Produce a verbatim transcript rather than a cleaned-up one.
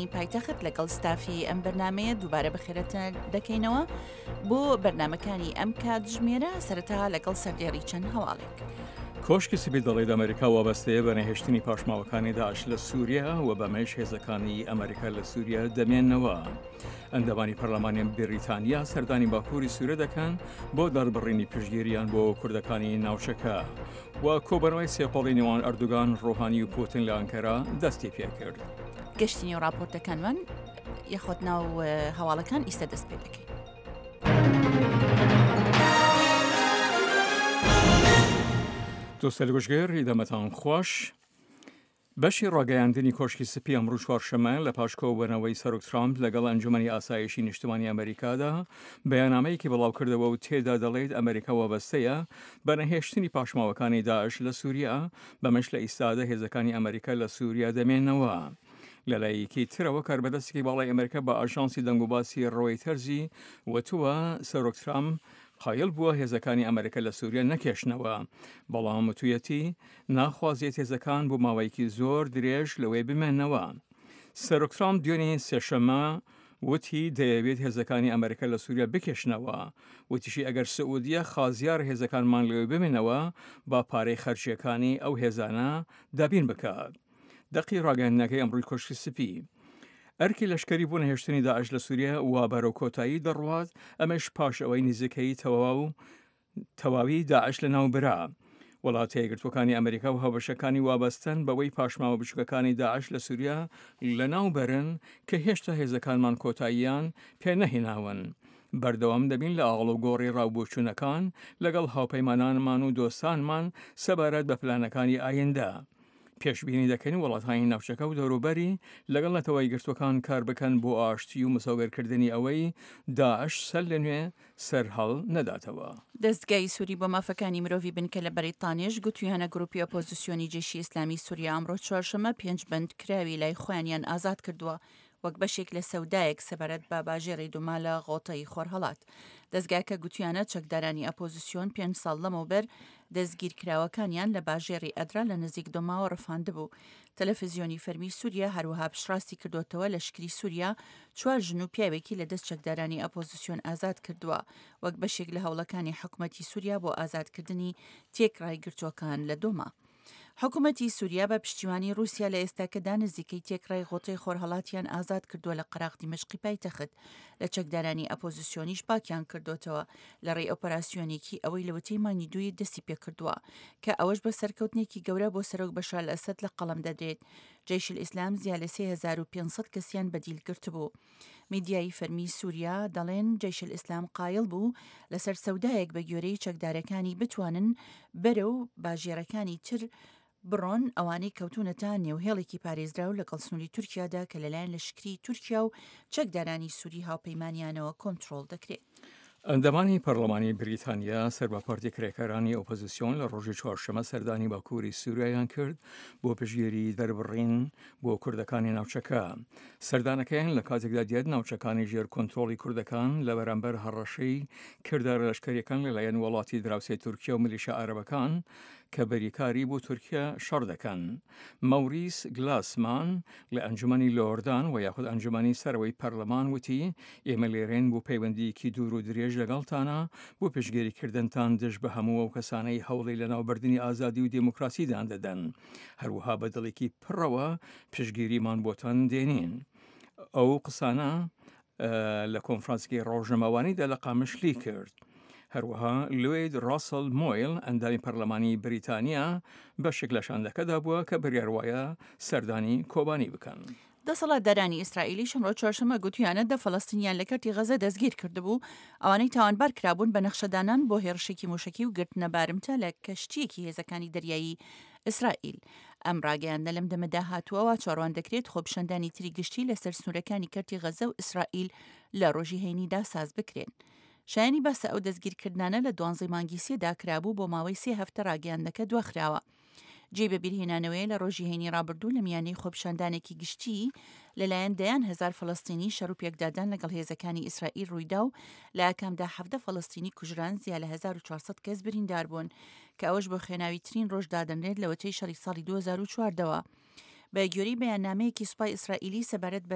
واشنگتنی پایتەخت لەگەڵ ستافی ئەم بەرنمەیە دووبارە بەخێرەتان دەکەینەوە بۆ بەرنمەکانی ئەم کاتژمێرە. سەرەتا لەگەڵ سەردێڕی چەند هەواڵێک. کۆشکی سپی دەڵێت ئەمریکا وابەستەیە بە نەهێشتنی پاشماوەکانی داعش لە سووریا و بەمەش هێزەکانی ئەمریکا لە سووریا دەمێنەوە. ئەندامانی پەرلەمانی بریتانیا سەردانی باکووری سوورە دەکەن بۆ دەربڕینی پشتگیریان بۆ کوردەکانی ناوچەکە و کۆبەرەوەی سێقۆڵی نێوان ئەردوگان، ڕۆهانی و پوتن لە ئەنکەرا دەستی پێکرد. گەشتی نێو راپۆرتەکانمان یاخۆت ناو هەواڵەکان ئیستا دەست پێ دەکەین. دۆستەل گوشگر دەمەتان خوش. بەشی ڕاگەیاندنی کۆشکی سپی ئەمڕۆ چوارشەممە لە پاش کۆبوونەوەی سەرۆک ترامپ لەگەڵ ئەنجومەنی ئاسایشی نیشتمانی ئەمریکادا بەیاننامەیەکی بڵاوکردەوە و تێدا دەڵێت ئەمریکا وابەستەیە بە نەهێشتنی پاشماوەکانی داعش لە سووریا، بەمەش لە ئیستادا هێزەکانی ئەمریکا لە سووریا دەمێنەوە. لەلایەکی ترەوە کاربەدەستێکی باڵای ئەمریکا بە ئاژانسی دەنگوباسی ڕۆیتەرزی وتووە سەرۆک ترامپ قایل بووە هێزەکانی ئەمریکا لە سووریا نەکێشنەوە، بەڵام وتویەتی ناخوازێت هێزەکان بۆ ماوەیەکی زۆر درێژ لەوەی بمێنەوە. سەرۆک ترامپ دوێنێ سێشەممە وتی دەیەوێت هێزەکانی ئەمریکا لە سووریا بکێشنەوە. وتیشی ئەگەر سعودیە خازیار هێزەکانمان لەوێ بمێنەوە با پارەی خەرجیەکانی ئەو هێزانە دابین بکات. دەقی ڕاگەیاندنەکەی ئەمڕۆی کۆشکی سپی. ئەرکی لەشکری بۆ نەهێشتنی داعش لە سووریا وا بەرەو کۆتایی دەڕوات، ئەمەش پاش ئەوەی نزیکەی تەواو تەواوی داعش لەناو برا. وڵاتە یەکگرتووەکانی ئەمریکا و هاوبەشەکانی وابەستەن بەوەی پاشماوە بچووکەکانی داعش لە سووریا لەناو بەرن کە هێشتا هێزەکانمان کۆتاییان پێ نەهێناون. بەردەوام دەبین لە ئاڵوگۆڕی ڕاوبۆچوونەکان لەگەڵ هاوپەیمانانمان و دۆستانمان سەبارەت بە پلانەکانی ئایندە. پێشبینی دەکەین وڵاتانی ناوچەکە و دەوروبەری لەگەڵ نەتەوە یەکگرتووەکان کار بکەن بۆ ئاشتی و مسۆگەرکردنی ئەوەی داعش سەر لە نوێ سەرهەڵ نەداتەوە. دەستگای سووری بۆ مافەکانی مرۆڤی بنکە لە بەریتانیش گوتویانە گروپی ئۆپۆزیسیۆنی جێشی ئیسلامی سووریا ئەمڕۆ چوارشەممە پێنج بەندکراوی لای خۆیانیان ئازاد کردووە وەک بەشێک لە سەودایەک سەبارەت بە باژێڕی دوما لە غۆتەی خۆرهەڵات. دەستگاکە گوتیانە چەکدارانی ئەپۆزیسیۆن پێنج ساڵ لەمەوبەر دەستگیرکراوەکانیان لە باژێڕی ئەدرا لە نزیک دۆماوە ڕفاندبوو. تەلەفزیۆنی فەرمی سووریا هەروەها پشتڕاستی کردوتەوە لەشکری سووریا چوار ژن و پیاوێکی لە دەست چەکدارانی ئەپۆزیسیۆن ئازاد کردووە وەک بەشێک لە هەوڵەکانی حکوومەتی سووریا بۆ ئازادکردنی تێکڕای گرتووەکان لە دۆما. حکوومەتی سووریا بە پشتیوانی رووسیا لە ئێستاکەدا نزیکەی تێکڕای غۆتەی خۆرهەڵاتیان ئازاد کردووە لە قەراغ دیمەشقی پایتەخت. لە چەکدارانی ئەپۆزیسیۆنیش پاکیان کردوتەوە لە ڕێی ئۆپەراسیۆنێکی ئەوەی لەوەتەی مانگی دووی دەستی پێکردووە کە ئەوەش بە سەرکەوتنێکی گەورە بۆ سەرۆک بەشار ئەسەد لە قەڵەم دەدرێت. جەیش ئیسلام زیاد لە سێ هەزار و پێنج سەد کەسیان بەدیل گرتبوو. میدیایی فەرمی سووریا دەڵێن جەیش ئیسلام قایل بوو لەسەر سەودایەک بە گوێرەی چەکدارەکانی بتوانن بەرەو باژێڕەکانی تر بڕۆن ئەوانەی کەوتونەتە نێوهێڵێکی پارێزراو لەگەڵ سنووری تورکیادا کە لەلایەن لەشکری تورکیا و چەکدارانی سووری هاوپەیمانیانەوە کۆنترۆڵ دەکرێت. ئەندامانی پەرلەمانی بریتانیا سەر بە پارتی کرێکارانی ئۆپۆزیسیۆن لە ڕۆژی چوارشەممە سەردانی باکووری سووریایان کرد بۆ پشتگیری دەربڕین بۆ کوردەکانی ناوچەکە. سەردانەکەیان لە کاتێکدا دێت ناوچەکانی ژێر کۆنترۆڵی کوردەکان لە بەرامبەر هەڕەشەی کردارە لەشکریەکان لەلایەن وڵاتی دراوسێ تورکیا و میلیشیا عەرەبەکان کە بەریکاری بۆ تورکیا شەڕ دەکەن. مەوریس گلاسمان لە ئەنجومەنی لۆردان و یاخود ئەنجومەنی سەرەوەی پەرلەمان وتی ئێمە لێرەین بۆ پەیوەندیەکی دوور و درێژ لەگەڵتانە بۆ پشتگیریکردنتان دژ بە هەموو ئەو کەسانەی هەوڵی لەناوبردنی ئازادی و دێموکراسیدان دەدەن. هەروەها بە دڵێکی پڕەوە پشتگیریمان بۆتان دێنین. ئەو قسانە لە کۆنفرانسێکی ڕۆژنامەوانیدا لە قامشلی کرد. هەروەها لوید ڕاسل مۆیل ئەندامی پەرلەمانی بریتانیا بەشێک لە شاندەکەدا بووە کە بڕیار وایە سەردانی کۆبانی بکەن. دەسەڵاتدارانی ئیسرائیلی ئەمڕۆ چوارشەممە گوتویانە دە فەلەستینیان لە کەرتی غەزە دەستگیر کردبوو، ئەوانەی تاوانبار کرابوون بە نەخشەدانان بۆ هێرشێکی موشکی و گرتنە بارمتە لە کەشتییەکی هێزەکانی دەریایی ئیسرائیل. ئەم ڕاگەیاندنە لەم دەمەدا هاتووەوە چاوەڕوان دەکرێت خۆپیشاندانی تری گشتی لەسەر سنوورەکانی کەرتی غەزە و ئیسرائیل لە ڕۆژی هەینیدا ساز بکرێن. شایانی باسە ئەو دەستگیرکردنانە لە دوانزەی مانگی سێدا کرابوو بۆ ماوەی سێ هەفتە ڕاگەیاندنەکە دواخراوە. جێ بەبیرهێنانەوەی لە ڕۆژی هەینی ڕابردوو لە میانەی خۆپیشاندانێکی گشتی لەلایەن دەیان هەزار فەلەستینی شەڕ و پێکدادان لەگەڵ هێزەکانی ئیسرائیل ڕوویدا و لە ئاکامدا حەڤدە فەلەستینی کوژران، زیاد لە هەزار و چوار سەد کەس بریندار بوون کە ئەوەش بۆ خوێناویترین ڕۆژ دادەنرێت لەوەتەی شەڕی ساڵی دوو هەزار و چواردەوە. بە گوێرەی بەیاننامەیەکی سوپای ئیسرائیلی سەبارەت بە